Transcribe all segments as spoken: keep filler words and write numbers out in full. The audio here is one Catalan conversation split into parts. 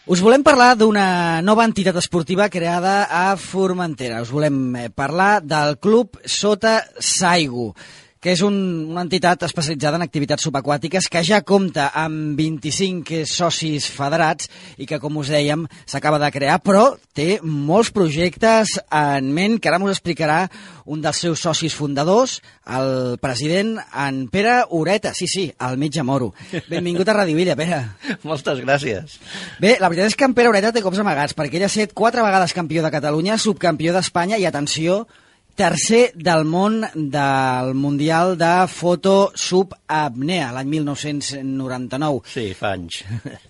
Us volem parlar d'una nova entitat esportiva creada a Formentera. Us volem parlar del Club Sota Saigo, que és un, una entitat especialitzada en activitats subaquàtiques que ja compta amb vint-i-cinc socis federats i que, com us dèiem, s'acaba de crear, però té molts projectes en ment que ara us explicarà un dels seus socis fundadors, el president, en Pere Ureta. Sí, sí, el metge moro. Benvingut a Radio Illa, Pere. Moltes gràcies. Bé, la veritat és que en Pere Ureta té cops amagats, perquè ell ha estat quatre vegades campió de Catalunya, subcampió d'Espanya i, atenció, tercer del món del Mundial de Foto Subapnea, l'any mil nou-cents noranta-nou. Sí, fa anys.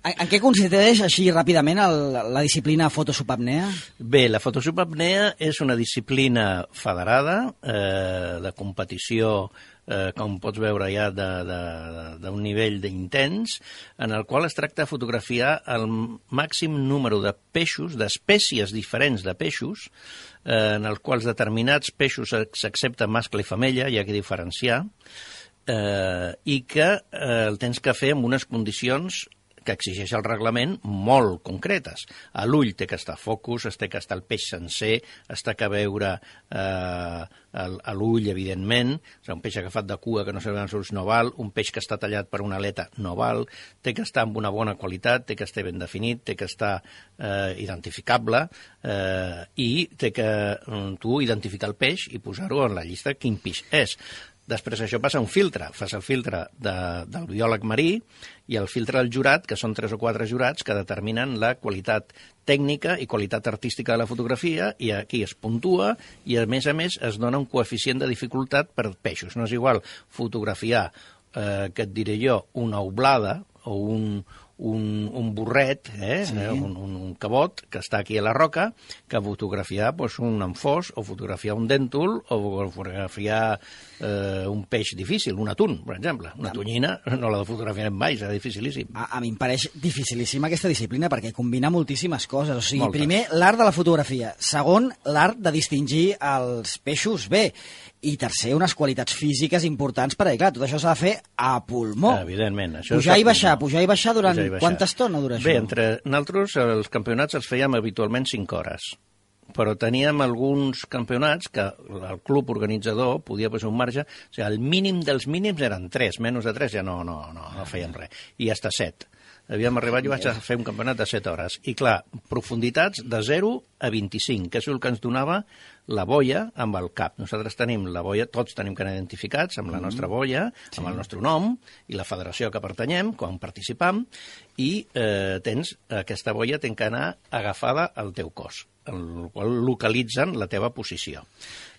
En, en què consisteix, així ràpidament, el, la disciplina Foto Subapnea? Bé, la Foto Subapnea és una disciplina federada eh, de competició, eh, com pots veure ja, d'un nivell d'intens, en el qual es tracta de fotografiar el màxim número de peixos, d'espècies diferents de peixos, en els quals determinats peixos s'accepten mascle i femella, hi ha que diferenciar, eh, i que eh, el tens que fer en unes condicions que exigeix el reglament molt concretes. A l'ull té que estar focus, es té que estar el peix sencer, es té que veure eh, a l'ull, evidentment, o sigui, un peix agafat de cua que no se veuen els ulls no val, un peix que està tallat per una aleta no val, té que estar amb una bona qualitat, té que estar ben definit, té que estar eh, identificable eh, i té que tu identificar el peix i posar-ho en la llista quin peix és. Després això passa a un filtre, fas el filtre de, del biòleg marí i el filtre del jurat, que són tres o quatre jurats que determinen la qualitat tècnica i qualitat artística de la fotografia, i aquí es puntua i, a més a més, es dona un coeficient de dificultat per peixos. No és igual fotografiar, eh, que et diré jo, una oblada o un, un, un burret, eh? Sí. un, un, un cabot que està aquí a la roca, que fotografiar pues, un anfós, o fotografiar un dèntul, o fotografiar eh, un peix difícil, un atún, per exemple. Una tonyina no la fotografiarem mai, serà dificilíssim. A, a mi em pareix dificilíssima aquesta disciplina perquè combina moltíssimes coses. O sigui, Moltes. Primer, l'art de la fotografia. Segon, l'art de distingir els peixos bé. I tercer, unes qualitats físiques importants perquè, clar, tot això s'ha de fer a pulmó. Evidentment. Això pujar i baixar, pujar i baixar durant... Pujar i baixar. Quanta estona dura això? Bé, entre nosaltres els campionats els fèiem habitualment cinc hores, però teníem alguns campionats que el club organitzador podia posar un marge, o sigui, el mínim dels mínims eren tres, menys de tres ja no, no, no, no fèiem res, i hasta set. Havíem arribat, jo vaig a fer un campionat de set hores. I clar, profunditats de zero a vint-i-cinc, que és el que ens donava la boia amb el cap. Nosaltres tenim la boia, tots tenim que anar identificats amb la nostra boia, sí. amb el nostre nom i la federació que pertanyem, quan participam, i eh, tens, aquesta boia té que anar agafada al teu cos, en el qual localitzen la teva posició.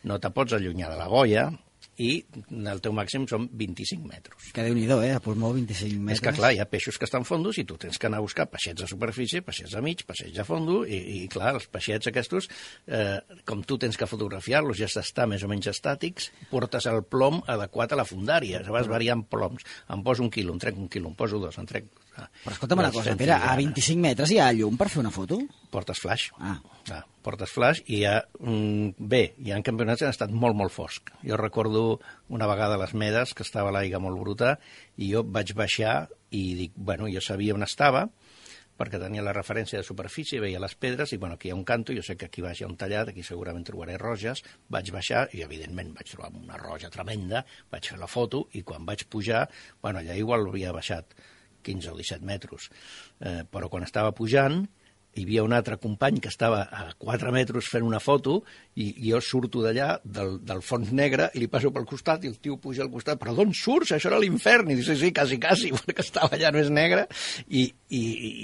No te pots allunyar de la boia, i el teu màxim són vint-i-cinc metres. Que Déu-n'hi-do, eh? A pulmó, vint-i-cinc metres. És que, clar, hi ha peixos que estan fondos i tu tens que anar a buscar peixets de superfície, peixets de mig, peixets de fondo, i, i clar, els peixets aquests, eh, com tu tens que fotografiar-los, ja s'està més o menys estàtics, portes el plom adequat a la fundària, vas variant ploms. Em poso un quilo, em trec un quilo, em poso dos, em trec... Però escolta'm una cosa, Pere, a vint-i-cinc metres hi ha llum per fer una foto? Portes flaix. Ah. Ah, portes flaix i hi ha... Mm, bé, hi ha campionats que han estat molt, molt fosc. Jo recordo una vegada a les Medes, que estava l'aigua molt bruta, i jo vaig baixar i dic, bueno, jo sabia on estava, perquè tenia la referència de superfície, veia les pedres, i bueno, aquí hi ha un canto, jo sé que aquí baix hi ha un tallat, aquí segurament trobaré roges, vaig baixar, i evidentment vaig trobar una roja tremenda, vaig fer la foto, i quan vaig pujar, bueno, allà igual havia baixat quinze o disset metres, eh, però quan estava pujant, hi havia un altre company que estava a quatre metres fent una foto i, i jo surto d'allà, del, del fons negre, i li passo pel costat i el tio puja al costat, però d'on surts? Això era l'infern. I dic, sí, sí, quasi, quasi, perquè estava allà més negre. I, i,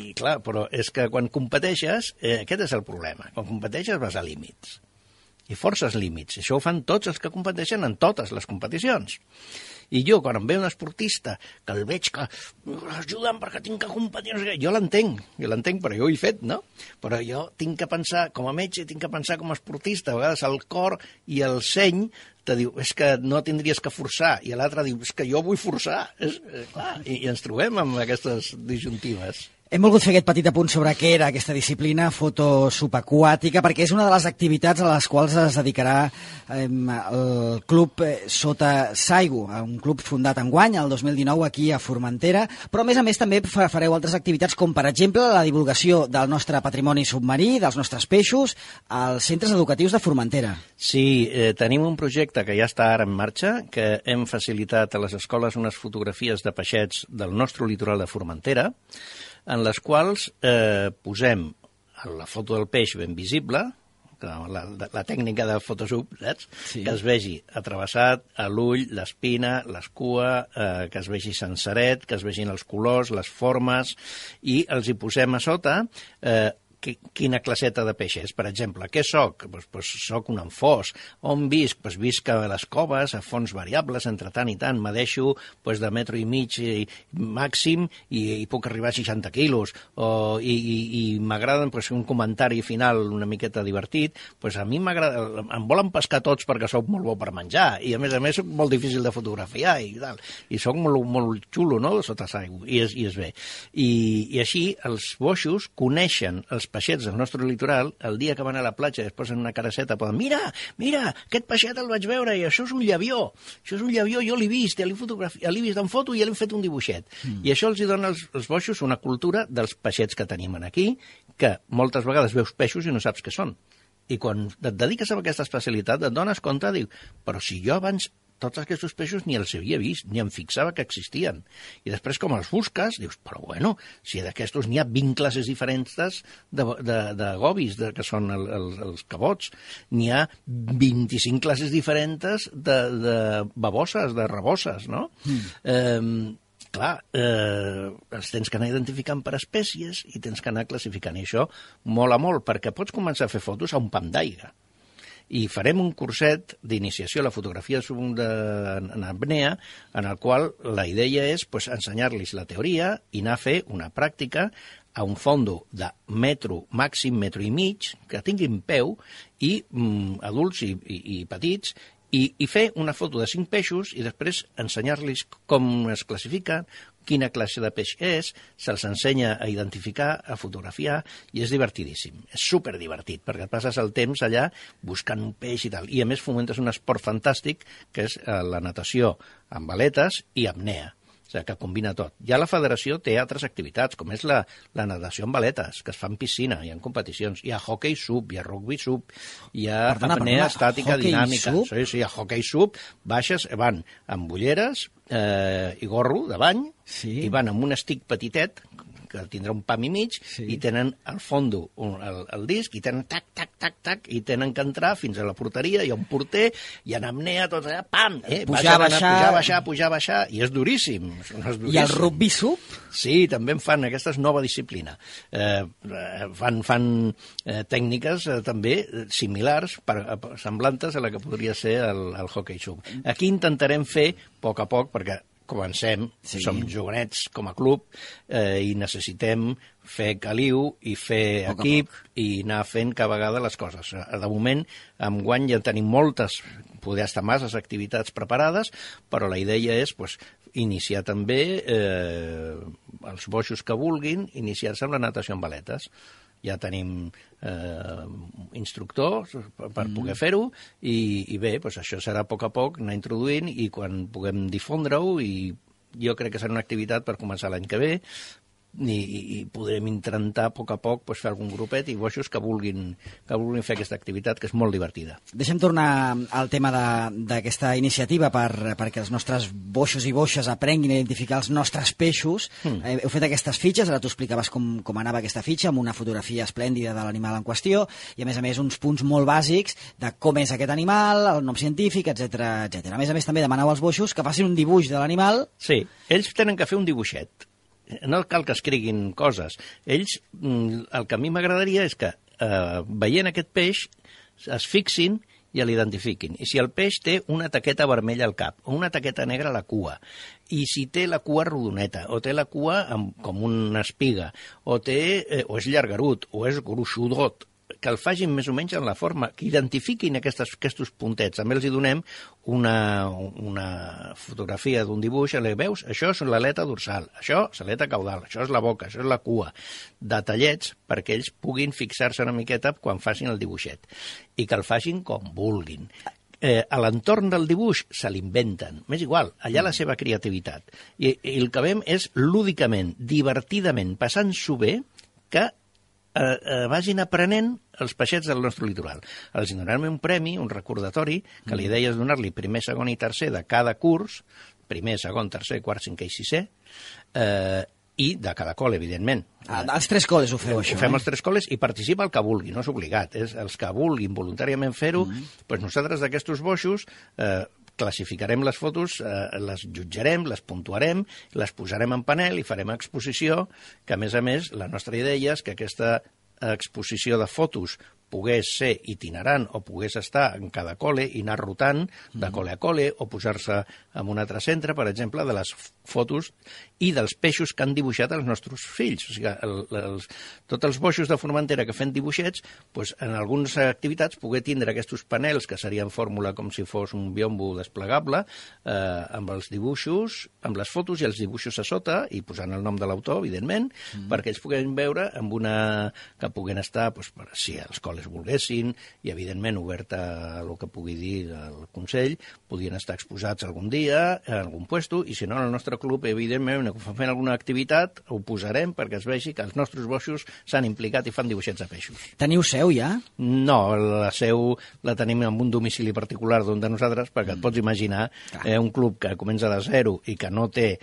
i clar, però és que quan competeixes, eh, aquest és el problema. Quan competeixes vas a límits. I forces límits. Això ho fan tots els que competeixen en totes les competicions. I jo, quan em ve un esportista, que el veig que ajuda'm perquè tinc que competir, jo l'entenc, jo l'entenc, però jo ho he fet, no? Però jo tinc que pensar, com a metge, tinc que pensar com a esportista. A vegades el cor i el seny te diu, és que no tindries que forçar, i l'altre diu, és que jo vull forçar. És, eh, clar, i, i ens trobem amb aquestes disjuntives. Hem volgut fer aquest petit apunt sobre què era aquesta disciplina fotosubaquàtica, perquè és una de les activitats a les quals es dedicarà eh, el club Sota Saigu, un club fundat enguany, el dos mil dinou, aquí a Formentera, però a més a més també fareu altres activitats com, per exemple, la divulgació del nostre patrimoni submarí, dels nostres peixos, als centres educatius de Formentera. Sí, eh, tenim un projecte que ja està ara en marxa, que hem facilitat a les escoles unes fotografies de peixets del nostre litoral de Formentera, en les quals eh, posem la foto del peix ben visible, la, la tècnica de Photoshop, saps? Sí. Que es vegi atrevessat a l'ull, l'espina, l'escua, eh, que es vegi senceret, que es vegin els colors, les formes, i els hi posem a sota eh, quina classeta de peix és. Per exemple, què soc? Pues, pues soc un amfós. On visc? Pues visc a les coves, a fons variables, entre tant i tant. M'adeixo pues, de metro i mig i, màxim i, i puc arribar a seixanta quilos. O, I i, i m'agraden pues, un comentari final una miqueta divertit. Pues a mi m'agrada... Em volen pescar tots perquè sóc molt bo per menjar i, a més a més, soc molt difícil de fotografiar i tal. I soc molt, molt xulo, no?, sota Saigu. I és, i és bé. I, I així els boixos coneixen els peixets del nostre litoral, el dia que van a la platja i es posen una caraceta, poden, mira, mira, aquest peixet el vaig veure i això és un llavió, això és un llavió, jo l'he vist, l'he fotografiat, l'he vist en foto i ja l'he fet un dibuixet. Mm. I això els hi dona als, als boixos una cultura dels peixets que tenim aquí, que moltes vegades veus peixos i no saps què són. I quan et dediques a aquesta especialitat et dones compte, diu, però si jo abans tots aquests peixos ni els havia vist, ni em fixava que existien. I després, com els busques, dius, però bueno, si d'aquestos n'hi ha vint classes diferents de, de, de gobis, de, que són el, el, els cabots, n'hi ha vint-i-cinc classes diferents de, de baboses, de raboses, no? Mm. Eh, clar, eh, els tens que anar identificant per espècies i tens que anar classificant. I això mola molt, perquè pots començar a fer fotos a un pam d'aigua. I farem un curset d'iniciació a la fotografia en apnea, en el qual la idea és pues, ensenyar-los la teoria i anar a fer una pràctica a un fondo de metro, màxim metro i mig, que tinguin peu, i mm, adults i, i, i petits, i, i fer una foto de cinc peixos i després ensenyar-los com es classifiquen, quina classe de peix és, se'ls ensenya a identificar, a fotografiar, i és divertidíssim. És superdivertit, perquè et passes el temps allà buscant un peix i tal. I a més fomentes un esport fantàstic, que és la natació amb aletes i apnea. O sigui, que combina tot. Ja la federació té altres activitats, com és la, la natació amb aletes, que es fa en piscina, hi ha competicions. Hi ha hockey sub, hi ha rugby sub, hi ha perdona, apnea perdona, estàtica dinàmica. Sub? Sí, sí, hi ha hockey sub, baixes, van amb ulleres eh, i gorro de bany, sí. I van amb un stick petitet, que tindrà un pam i mig, sí. I tenen al fondo un, el, el disc, i tenen tac, tac, tac, tac, i tenen que entrar fins a la porteria, hi ha un porter, hi ha apnea, tot allà, pam! Eh? Pujar, baixar... pujar, baixar, pujar, baixar, i és duríssim. És duríssim. I el rugby sub? Sí, també en fan, aquesta és nova disciplina. Eh, fan fan eh, tècniques eh, també similars, per, per, semblantes a la que podria ser el, el hockey sub. Aquí intentarem fer, a poc a poc, perquè comencem, sí. Som jovenets com a club eh, i necessitem fer caliu i fer poc equip i anar fent cada vegada les coses. De moment, enguany ja tenim moltes, poder estar masses activitats preparades, però la idea és pues, iniciar també eh, els boixos que vulguin, iniciar-se amb la natació amb aletes. Ja tenim eh, instructors per, per mm. poder fer-ho i, i bé, doncs això serà a poc a poc anar introduint i quan puguem difondre-ho i jo crec que serà una activitat per començar l'any que ve i, i podrem intentar a poc a poc pues, fer algun grupet i boixos que vulguin, que vulguin fer aquesta activitat que és molt divertida. Deixem tornar al tema d'aquesta iniciativa per, perquè els nostres boixos i boixes aprenguin a identificar els nostres peixos. Mm. Eh, heu fet aquestes fitxes, ara t'ho explicaves com, com anava aquesta fitxa, amb una fotografia esplèndida de l'animal en qüestió i a més a més uns punts molt bàsics de com és aquest animal, el nom científic, etcètera etcètera. A més a més també demaneu als boixos que facin un dibuix de l'animal. Sí, ells tenen que fer un dibuixet. No cal que escriguin coses. Ells, el que a mi m'agradaria és que, eh, veient aquest peix, es fixin i l'identifiquin. I si el peix té una taqueta vermella al cap o una taqueta negra a la cua, i si té la cua rodoneta, o té la cua amb, com una espiga, o, té, eh, o és llargarut, o és gruixudot, que el facin més o menys en la forma, que identifiquin aquestes, aquests puntets. També els hi donem una, una fotografia d'un dibuix, i li veus, això és l'aleta dorsal, això és l'aleta caudal, això és la boca, això és la cua, detallets perquè ells puguin fixar-se una miqueta quan facin el dibuixet, i que el facin com vulguin. Eh, a l'entorn del dibuix se l'inventen, m'és igual, allà la seva creativitat. I, i el que veiem és lúdicament, divertidament, passant-s'ho bé, que eh, eh, vagin aprenent els peixets del nostre litoral. Els donarem un premi, un recordatori, que la idea és donar-li primer, segon i tercer de cada curs, primer, segon, tercer, quart, cinquè i sisè, eh, i de cada col·le, evidentment. Ah, als tres col·les ho feu, això. Ho fem eh? als tres col·les i participa el que vulgui, no és obligat. És els que vulguin voluntàriament fer-ho, mm -hmm. doncs nosaltres d'aquests boixos eh, classificarem les fotos, eh, les jutjarem, les puntuarem, les posarem en panel i farem exposició, que a més a més la nostra idea és que aquesta exposició de fotos pogués ser itinerant o pogués estar en cada col·le i anar rotant de col·le a col·le o posar-se en un altre centre, per exemple, de les fotos i dels peixos que han dibuixat els nostres fills. O sigui, el, els, tots els boixos de Formentera que fem dibuixets, doncs, en algunes activitats poder tindre aquests panels que serien fórmula com si fos un biombo desplegable, eh, amb els dibuixos, amb les fotos i els dibuixos a sota, i posant el nom de l'autor, evidentment, mm. perquè ells puguin veure amb una... que puguen estar, doncs, per, si els col·les volguessin, i evidentment obert a el que pugui dir el Consell, podien estar exposats algun dia, en algun puesto, i si no, en el nostre club, evidentment, quan fem alguna activitat, ho posarem perquè es vegi que els nostres boixos s'han implicat i fan dibuixets de peixos. Teniu seu, ja? No, la seu la tenim en un domicili particular d'un de nosaltres, perquè mm. et pots imaginar eh, un club que comença de zero i que no té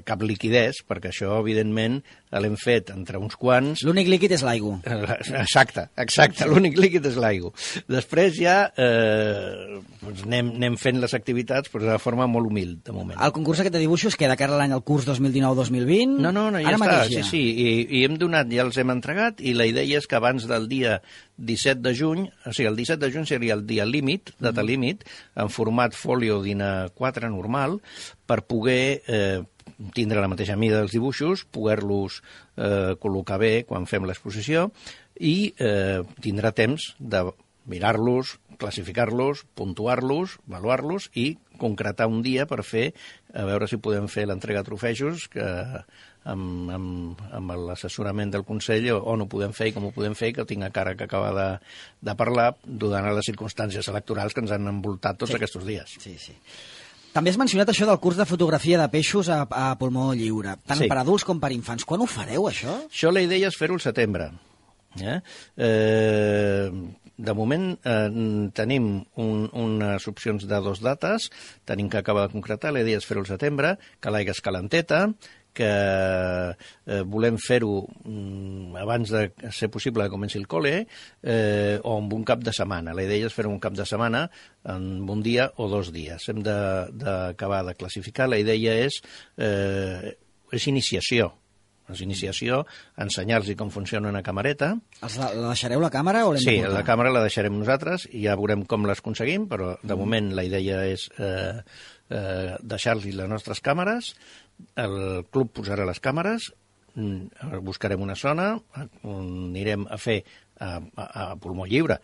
cap liquidez, perquè això, evidentment, l'hem fet entre uns quants... L'únic líquid és l'aigua. Exacte, exacte, sí. L'únic líquid és l'aigua. Després ja eh, doncs anem, anem fent les activitats però de forma molt humil, de moment. El concurs aquest de dibuixos queda cara l'any al curs dos mil dinou dos mil vint? No, no, no, ja Ara està, ja. sí, sí, i, i hem donat, ja els hem entregat, i la idea és que abans del dia disset de juny, o sigui, el disset de juny seria el dia límit, data mm. límit, en format folio d'I N A quatre normal, per poder... Eh, tindre la mateixa mida dels dibuixos, poder-los eh, col·locar bé quan fem l'exposició i eh, tindrà temps de mirar-los, classificar-los, puntuar-los, avaluar-los i concretar un dia per fer, a veure si podem fer l'entrega de trofejos que amb, amb, amb l'assessorament del Consell on ho podem fer i com ho podem fer, que tinc a cara que acaba de, de parlar, donant les circumstàncies electorals que ens han envoltat tots sí. aquests dies. Sí, sí. També has mencionat això del curs de fotografia de peixos a, a pulmó lliure, tant sí. per adults com per infants. Quan ho fareu, això? Això la idea és fer-ho al setembre. Eh? Eh, de moment eh, tenim un, unes opcions de dos dates, tenim que acabar de concretar, la idea és fer-ho al setembre, que l'aigua és calenteta, que eh, volem fer-ho mm, abans de ser possible que comenci el col·le eh, o en un cap de setmana. La idea és fer-ho un cap de setmana en un dia o dos dies. Hem d'acabar de, de classificar. La idea és, eh, és iniciació. És iniciació, ensenyar-los com funciona una camareta. Els la, la deixareu la càmera o l'hem sí, de portar? La càmera la deixarem nosaltres i ja veurem com les aconseguim, però de mm. moment la idea és eh, eh, deixar-los les nostres càmeres. El club posarà les càmeres, buscarem una zona on anirem a fer a, a, a pulmó lliure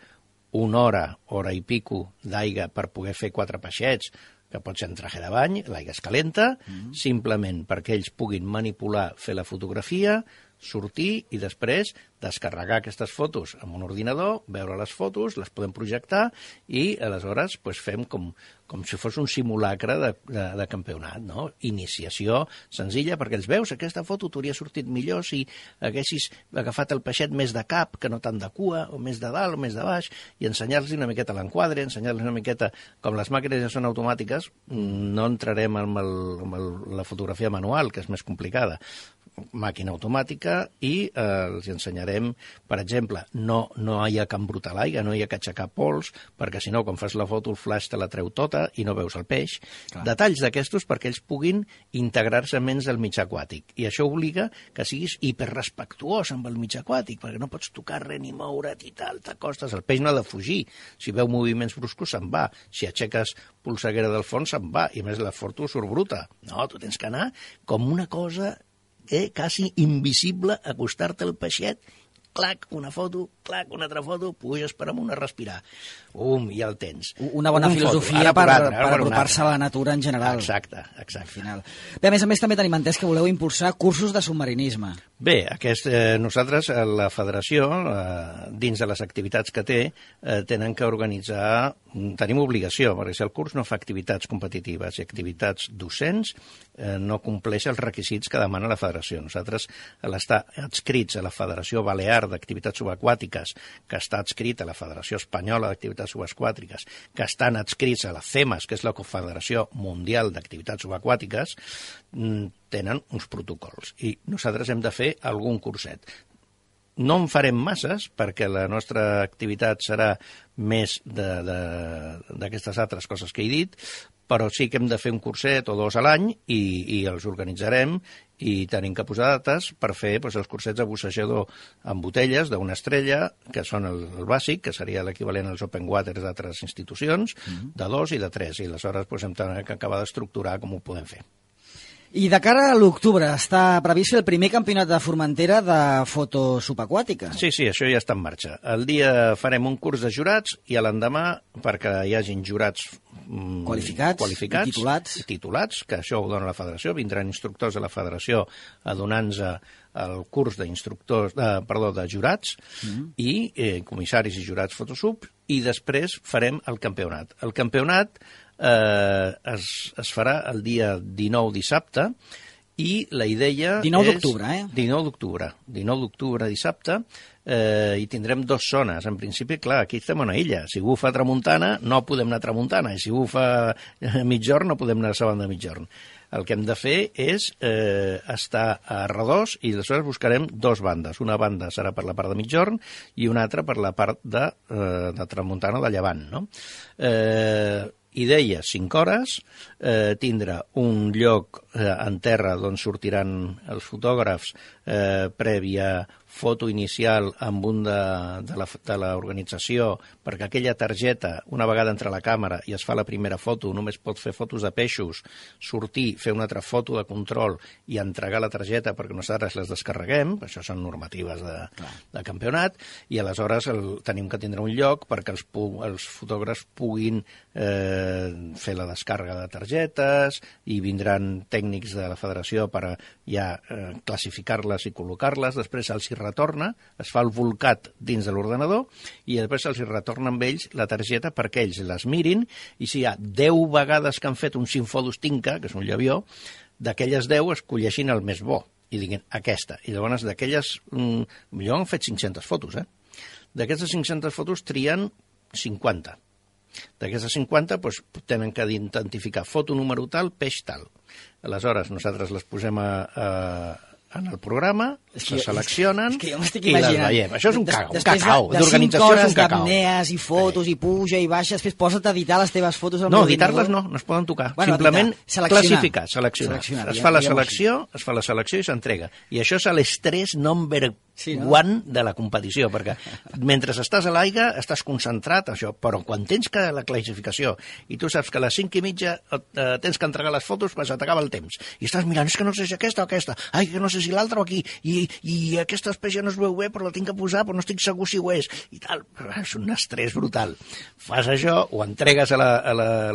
una hora, hora i pico d'aigua per poder fer quatre peixets, que pot ser en traje de bany, l'aigua és calenta, mm-hmm. simplement perquè ells puguin manipular, fer la fotografia, sortir i després descarregar aquestes fotos amb un ordinador, veure les fotos, les podem projectar i aleshores pues, fem com, com si fos un simulacre de, de, de campionat, no? Iniciació senzilla, perquè els veus, aquesta foto t'hauria sortit millor si haguessis agafat el peixet més de cap que no tant de cua, o més de dalt o més de baix, i ensenyar-los una miqueta l'enquadre, ensenyar-los una miqueta, com les màquines ja són automàtiques, no entrarem amb, el, amb el, la fotografia manual, que és més complicada, màquina automàtica, i eh, els ensenyarem, per exemple, no, no hi ha que embrutar l'aigua, no hi ha que aixecar pols, perquè si no, quan fas la foto, el flash te la treu tota i no veus el peix. Clar. Detalls d'aquestos perquè ells puguin integrar-se menys al mig aquàtic. I això obliga que siguis hiperrespectuós amb el mig aquàtic, perquè no pots tocar res ni moure't i tal, t'acostes. El peix no ha de fugir. Si veu moviments bruscos, se'n va. Si aixeques polseguera del fons, se'n va. I a més, la foto surt bruta. No, tu tens que anar com una cosa... Eh, quasi invisible, acostar-te al peixet clac, una foto, clac, una altra foto, puges per amunt a respirar. Um, ja el tens. Una bona un filosofia per, per, per apropar-se a la natura en general. Exacte, exacte. Al final. Bé, a més a més, també tenim entès que voleu impulsar cursos de submarinisme. Bé, aquest, eh, nosaltres, la federació, eh, dins de les activitats que té, eh, tenen que organitzar, tenim obligació, perquè si el curs no fa activitats competitives i activitats docents, eh, no compleix els requisits que demana la federació. Nosaltres, l'estar adscrits a la Federació Balear d'Activitats Subaquàtiques, que està adscrit a la Federació Espanyola d'Activitats Subaquàtiques, que estan adscrits a la CEMAS, que és la Confederació Mundial d'Activitats Subaquàtiques, tenen uns protocols. I nosaltres hem de fer algun curset. No en farem masses, perquè la nostra activitat serà més d'aquestes altres coses que he dit, però sí que hem de fer un curset o dos a l'any i, i els organitzarem i tenim que posar dates per fer doncs, els cursets de bussejador amb botelles d'una estrella, que són el, el bàsic, que seria l'equivalent als open waters d'altres institucions, mm-hmm. de dos i de tres, i aleshores doncs, hem d'acabar d'estructurar com ho podem fer. I de cara a l'octubre està previst el primer campionat de Formentera de foto subaquàtica. Sí, sí, això ja està en marxa. El dia farem un curs de jurats i a l'endemà, perquè hi hagin jurats mm, qualificats, qualificats i titulats. I titulats, que això ho dona la federació, vindran instructors de la federació a donar-nos el curs d'instructors, eh, perdó, de jurats mm-hmm. i eh, comissaris i jurats fotosub, i després farem el campionat. El campionat Eh, es, es farà el dia dinou dissabte i la idea dinou és... d'octubre, eh? dinou d'octubre. dinou d'octubre dissabte eh, i tindrem dues zones. En principi, clar, aquí estem a una illa. Si bufa a tramuntana, no podem anar a tramuntana, i si bufa a mitjorn, no podem anar a la banda de mitjorn. El que hem de fer és eh, estar a redós i aleshores buscarem dues bandes. Una banda serà per la part de mitjorn i una altra per la part de, eh, de tramuntana o de llevant, no? Eh, idea, cinc hores, eh, tindre un lloc eh, en terra d'on sortiran els fotògrafs eh, prèvia foto inicial amb un de, de, la, de l'organització, perquè aquella targeta, una vegada entra a la càmera i es fa la primera foto, només pot fer fotos de peixos, sortir, fer una altra foto de control i entregar la targeta perquè nosaltres les descarreguem, això són normatives de, de campionat, i aleshores el, tenim que tindre un lloc perquè els, els fotògrafs puguin eh, fer la descàrrega de targetes i vindran tècnics de la federació per ja eh, classificar-les i col·locar-les, després els hi retorna, es fa el volcat dins de l'ordenador i després els hi retorna amb ells la targeta perquè ells les mirin i si hi ha deu vegades que han fet un Sinfodus Tinca, que és un llavió, d'aquelles deu escolleixin el més bo i diguin aquesta. I llavors d'aquelles... Mm, jo han fet cinc-centes fotos, eh? D'aquestes cinc-centes fotos trien cinquanta. D'aquestes cinquanta doncs, tenen que identificar foto número tal, peix tal. Aleshores nosaltres les posem a... a en el programa, es se seleccionen és que jo m'estic i imaginant. les veiem. Això és un cacau, un cacau. De, de cinc hores d'apnees i fotos sí. i puja i baixa, després posa't a editar les teves fotos. No, editar-les no, no es poden tocar. Bueno, Simplement classificar, seleccionar. seleccionar. Es fa la selecció, es fa la selecció i s'entrega. I això és l'estrès number sí, no? one de la competició, perquè mentre estàs a l'aigua estàs concentrat, això, però quan tens que la classificació i tu saps que a les cinc i mitja eh, tens que entregar les fotos, pues t'acaba el temps. I estàs mirant, és que no sé si aquesta o aquesta, ai, que no sé si l'altra o aquí, i, i aquesta espècie no es veu bé, però la tinc que posar, però no estic segur si ho és, i tal. És un estrès brutal. Fas això, ho entregues a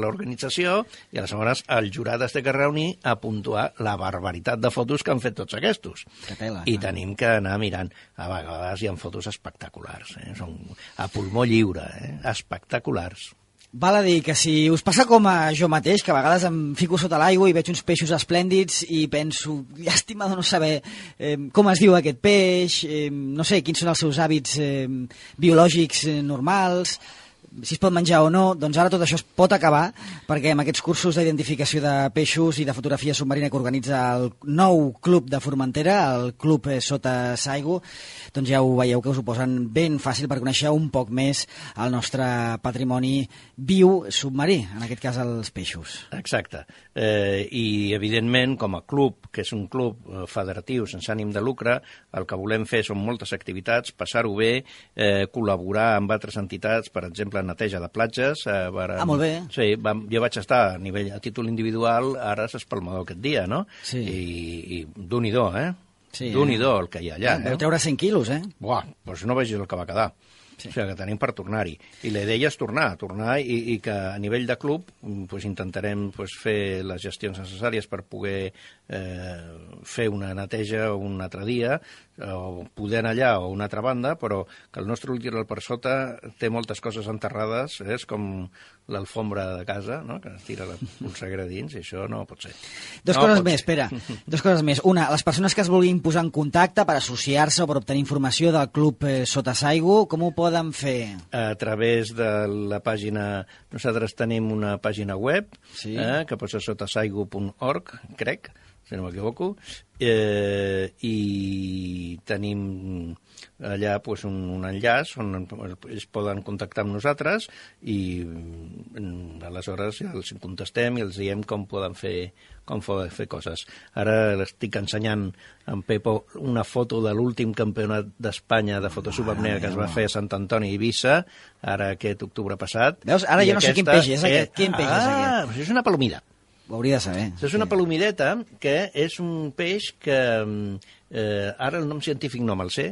l'organització, i aleshores el jurat es té que reunir a puntuar la barbaritat de fotos que han fet tots aquests. Tela, I tenim que anar mirant. A vegades hi ha fotos espectaculars, eh? Són a pulmó lliure, eh? Espectaculars. Val a dir que si us passa com a jo mateix, que a vegades em fico sota l'aigua i veig uns peixos esplèndids i penso, llàstima de no saber eh, com es diu aquest peix, eh, no sé, quins són els seus hàbits eh, biològics eh, normals, si es pot menjar o no, doncs ara tot això es pot acabar, perquè amb aquests cursos d'identificació de peixos i de fotografia submarina que organitza el nou club de Formentera, el club Sota Saigu, doncs ja ho veieu que us ho posen ben fàcil per conèixer un poc més el nostre patrimoni viu submarí, en aquest cas els peixos. Exacte. Eh, I, evidentment, com a club, que és un club federatiu sense ànim de lucre, el que volem fer són moltes activitats, passar-ho bé, eh, col·laborar amb altres entitats, per exemple, neteja de platges. Eh, per, ah, molt bé. Sí, vam, jo vaig estar a nivell a títol individual, ara és espalmador aquest dia, no? Sí. I, i d'un-i-do, eh? Sí, Déu-n'hi-do el que hi ha allà. Eh? Deu treure cent quilos, eh? Buah, doncs no vegis el que va quedar. Sí. O sigui, que tenim per tornar-hi. I la idea és tornar, tornar i, i que a nivell de club pues, intentarem pues, fer les gestions necessàries per poder eh, fer una neteja un altre dia, o poder anar allà o una altra banda, però que el nostre litoral per sota té moltes coses enterrades, eh? És com l'alfombra de casa, no? Que es tira la polseguera dins, i això no pot ser. Dos no coses pot més, ser. espera. Dos coses més. Una, les persones que es vulguin posar en contacte per associar-se o per obtenir informació del Club eh, Sota Saigu, com ho poden fer? A través de la pàgina... Nosaltres tenim una pàgina web, sí. eh, que pot ser sotasaigu punt org, crec, si no m'equivoco, eh, i tenim allà pues, un, un enllaç on ells poden contactar amb nosaltres i mm, aleshores ja els contestem i els diem com poden fer, com poden fer coses. Ara estic ensenyant en Pepo una foto de l'últim campionat d'Espanya de fotosubapnea que es va fer a Sant Antoni i Eivissa, ara aquest octubre passat. Veus? Ara jo no sé quin peix és aquest. Quin peix és ah, aquest? És una palomida. Ho hauria de saber. És una palomideta que és un peix que, eh, ara el nom científic no me'l sé,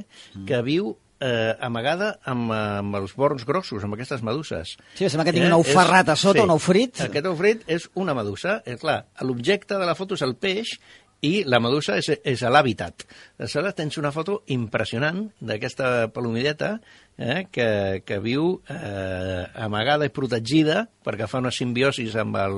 que viu eh, amagada amb, amb els borns grossos, amb aquestes meduses. Sí, sembla que tingui un ou ferrat a sota, sí, un ou frit. Aquest ou frit és una medusa. Eh, clar, l'objecte de la foto és el peix i la medusa és, és l'hàbitat. Aleshores tens una foto impressionant d'aquesta palomideta eh, que, que viu eh, amagada i protegida perquè fa una simbiosis amb el,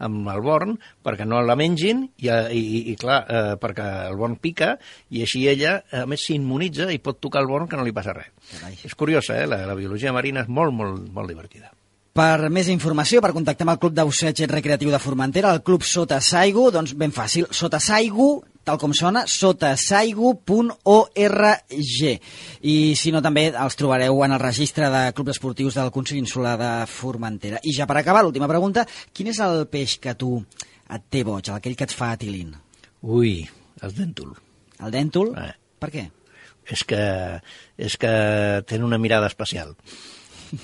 amb el born, perquè no la mengin i, i, i clar, eh, perquè el born pica i així ella, a més, s'immunitza i pot tocar el born que no li passa res. Carai. És curiosa, eh? La, la biologia marina és molt, molt, molt divertida. Per més informació, per contactar amb el Club d'Oceig Recreatiu de Formentera, el Club Sota Saigu, doncs ben fàcil, Sota Saigu, tal com sona, sotasaigu punt org. I si no, també els trobareu en el registre de clubs esportius del Consell Insular de Formentera. I ja per acabar, l'última pregunta, quin és el peix que tu et té boig, aquell que et fa atilint? Ui, el dèntol. El dèntol? Eh. Per què? És que, és que tenen una mirada especial.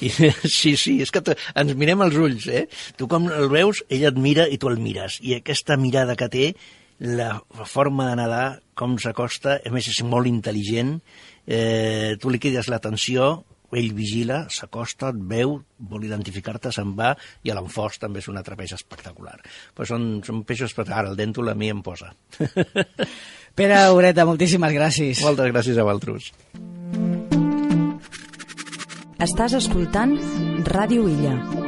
I, sí, sí, és que ens mirem als ulls, eh? Tu com el veus, ell et mira i tu el mires. I aquesta mirada que té, la forma de nedar, com s'acosta, a més és molt intel·ligent, eh, tu li crides l'atenció, ell vigila, s'acosta, et veu, vol identificar-te, se'n va, i a l'enfors també és un altre peix espectacular. Però són, són peixos espectaculars, el dèntol a mi em posa. Pere Ureta, moltíssimes gràcies. Moltes gràcies a vosaltres. Estàs escoltant Ràdio Illa.